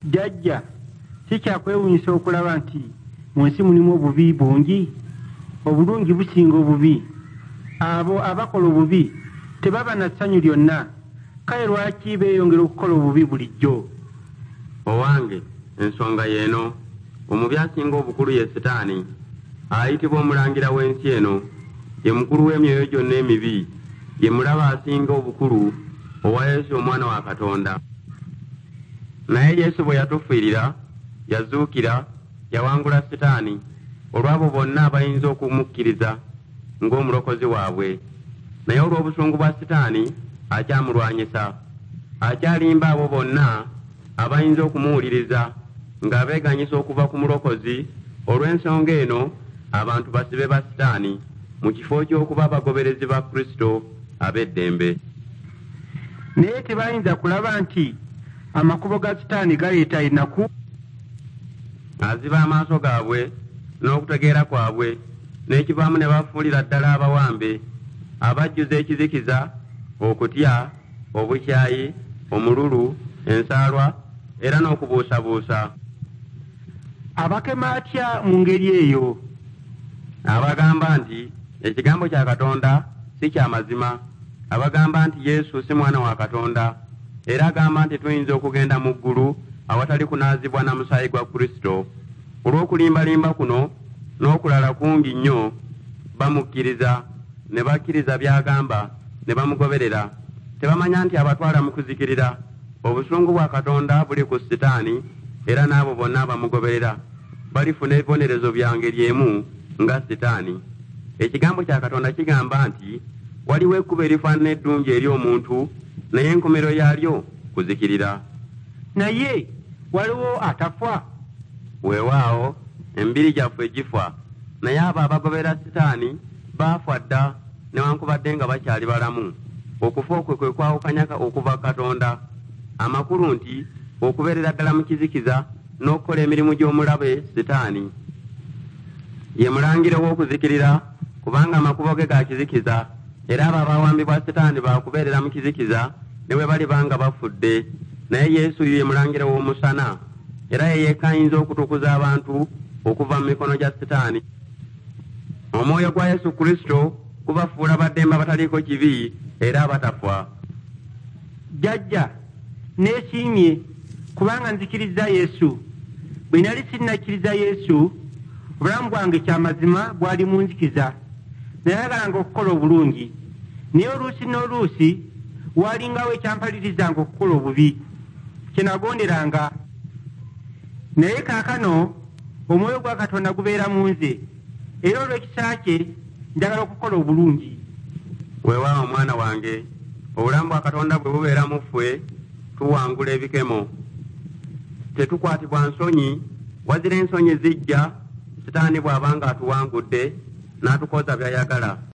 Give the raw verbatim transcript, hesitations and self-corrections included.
Jjajja, si kyakwewuunyisa okulaba nti mu nsi mulimu obubi bungi? Obulungi businga obubi. Abo abakola obubi tebaba na ssanyu lyonna, kale lwaki beeyongera okukola obubi bulijjo? Owange, ensonga y'eno. Omubi asinga obukulu ye Sitaani, ayitibwa omulangira w'ensi eno. Ye mukulu w'emyoyo gyonna emibi, ye mulabe asinga obukulu owa Yesu Omwana wa Katonda. Naye Yesu bwe yatufiirira, yazuukira, yawangula Sitaani olw'abo bonna abayinza okumukkiriza ng'Omulokozi waabwe. Naye olw'obusungu bwa Sitaani akyamulwanyisa. Akyalimba abo bonna abayinza okumuwuliriza ng'abeeganyisa okuva ku Mulokozi. Olw'ensonga eno abantu basibe ba Sitaani mu kifo ky'okuba abagoberezi ba Kristo ab'eddembe. Naye tebayinza kulaba nti amakubo ga Sitaani galeeta ennaku? Aziba amaaso gaabwe n'okutegeera kwabwe, n'ekivaamu ne bafuulira ddala abawambe, abajjuza ekizikiza, okutya, obukyayi, omululu, ensaalwa era n'okubuusabuusa. Abakema atya mu ngeri eyo? Abagamba nti ekigambo kya Katonda si kya mazima, abagamba nti Yesu si mwana wa Katonda, era agamba nti tuyinza okugenda mu ggulu awatali kunaazibwa na musaayi gwa Kristo. Olw'okulimbalimba kuno n'okulala kungi nnyo bamukkiriza, ne bakkiriza by'agamba, ne bamugoberera. Tebamanya nti abatwala mu kuzikirira. Obusungu bwa Katonda buli ku Sitaani era n'abo bonna abamugoberera balifuna ebibonerezo bya ngeri emu nga Sitaani. Ekigambo kya Katonda kigamba nti waliwo ekkubo erifaanana eddungi eri omuntu, naye enkomerero yaalyo kuzikirira. Naye waliwo atafa? Weewaawo, emibiri gyaffe gifa, naye abo abagoberera Sitaani baafa dda newankubadde nga bakyali balamu. Okufa okwo kwe kwawukanya okuva Katonda. Amakulu nti okubeerera ddala mu kizikiza n'okukola emirimu gy'omulabe Sitaani. Ye mulangira ow'okuzikirira, kubanga amakubo ge ga kizikiza, era abo abawambibwa Sitaani baakubeerera mu kizikiza ne bwe baliba nga bafudde. Naye Yesu ye mulangira w'omusana, era ye yekka ayinza okutukuza abantu okuva mu mikono gya Sitaani. Omwoyo gwa Yesu Kristo gubafuula baddembe abataliiko kibi era abatafa. Jjajja, neesiimye kubanga nzikirizza Yesu. Bwe nali sinnakkiriza Yesu, obulamu bwange kyamazima bwali mu nzikiza. Nayagalanga okukola obulungi, naye oluusi n'oluusi waalingawo ekyampalirizanga okukola obubi, kye nagonderanga. Naye kaakano omwoyo gwa Katonda gubeera mu nze, era olw'ekisa kye njagala okukola obulungi. Weewaawo mwana wange, obulamu bwa Katonda bwe bubeera mu ffe, tuwangula ebikemo. Tetukwatibwa nsonyi, wazira ensonyi zijja Sitaani bw'aba ng'atuwangudde n'atukoza by'ayagala.